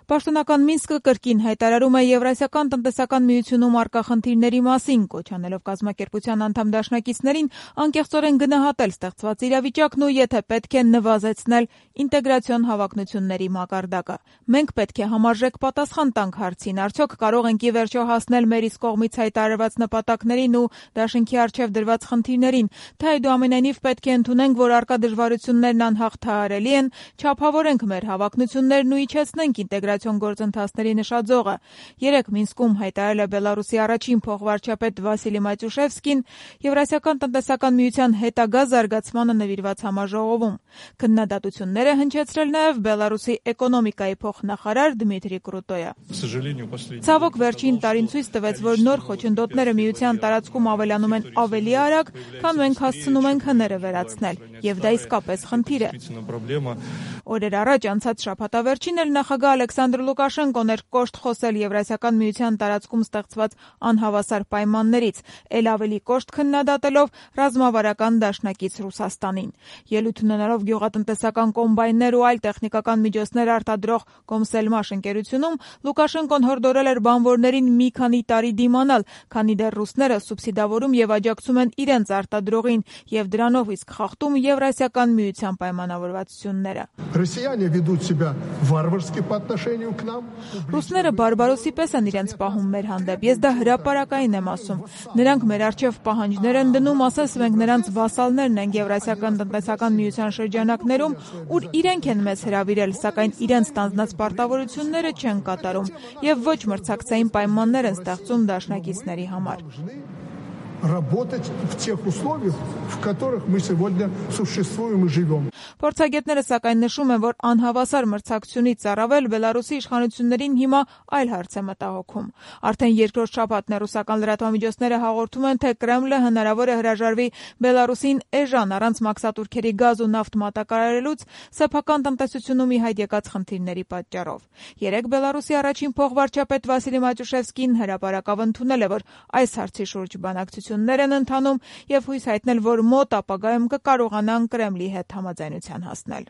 Պաշտոնական Մինսկը կրկին հայտարարում է Եվրասիական տնտեսական միությունում առկա խնդիրների մասին, կոչ անելով կազմակերպության անդամ դաշնակիցներին անկեղծորեն գնահատել ստեղծված իրավիճակն ու եթե պետք է նվազեցնել ինտեգրացիոն հավակնությունների մակարդակը։ Մենք պետք է համարժեք պատասխան տանք հարցին, արդյոք կարող ենք ի վերջո հասնել մեր իսկ կողմից հայտարարված նպատակներին ու դաշինքի առջև դրված խնդիրներին, թե այդուամենայնիվ պետք է ընդունենք, որ առկա դժվարություններն անհաղթահարելի են, չափավորենք մեր հավակնություններն ու իջեցնենք ինտեգրացիոն գործընթացների նշաձողը։ Երեկ Մինսկում հայտարարել է Բելարուսի առաջին փոխվարչապետ Վասիլի Մայծուշևսկին Եվրասիական տնտեսական միության հետագա զարգացմանը նվիրված համաժողովում։ Քննադատություններ է հնչեցրել նաև Բելարուսի էկոնոմիկայի փոխնախարար Դմիտրի Կրուտոյը։ Ցավոք վերջին տարին ցույց տվեց, որ նոր խոչընդոտները միության տարածքում ավելանում են ավելի արագ, քան մենք հասցնում ենք հները վերացնել, եւ դա իսկապես խնդիր է։ Օրեր առաջ անցած շաբաթավերջին էլ նախագահ Ալեքսանդր Լուկաշենկոն էր կոշտ խոսել Եվրասիական միության տարածքում ստեղծված անհավասար պայմաններից, ել ավելի կոշտ քննադատելով ռազմավարական դաշնակից Ռուսաստանին։ Ելույթ ունենալով գյուղատնտեսական կոմբայններ ու այլ տեխնիկական միջոցներ արտադրող Կոմսելմաշ ընկերությունում Լուկաշենկոն հորդորել էր բանվորներին մի քանի տարի դիմանալ, քանի դեռ ռուսները սուբսիդավորում եւ աջակցում են իրենց արտադրողին եւ դրանով իսկ խախտում Եվրասիական միության պայմանավորվածությունները։ Ռուսները բարբարոսի պես են իրենց պահում մեր հանդեպ, ես դա հրապարակային եմ ասում։ Նրանք մեր առջև պահանջներ են դնում, ասես մենք նրանց վասալներն ենք Եվրասիական տնտեսական միության շրջանակներում, ուր իրենք են մեզ հրավիրել, սակայն իրենց ստանձնած պարտավորությունները չեն կատարում եւ ոչ մրցակցային պայմաններ են ստեղծում դաշնակիցների համար։ Փորձագետները սակայն նշում են, որ անհավասար մրցակցությունից առավել Բելարուսի իշխանություններին հիմա այլ հարց է մտահոգում։ Արդեն երկրորդ շաբաթն է ռուսական լրատվամիջոցները հաղորդում են, թե Կրեմլը հնարավոր է հրաժարվի Բելարուսին էժան առանց մաքսատուրքերի գազ ու նավթ մատակարարելուց սեփական տնտեսությունում ի հայտ եկած խնդիրների պատճառով։ Երեկ Բելարուսի առաջին փոխվարչապետ Վասիլի Մայծուշևսկին հրապարակավ ընդունել է, որ այս հարցի շուրջ բանակցություններ են ընթանում եւ հույս հայտնել, որ մոտ ապագայում կկարողանան Կրեմլի հետ համաձայնության հասնել։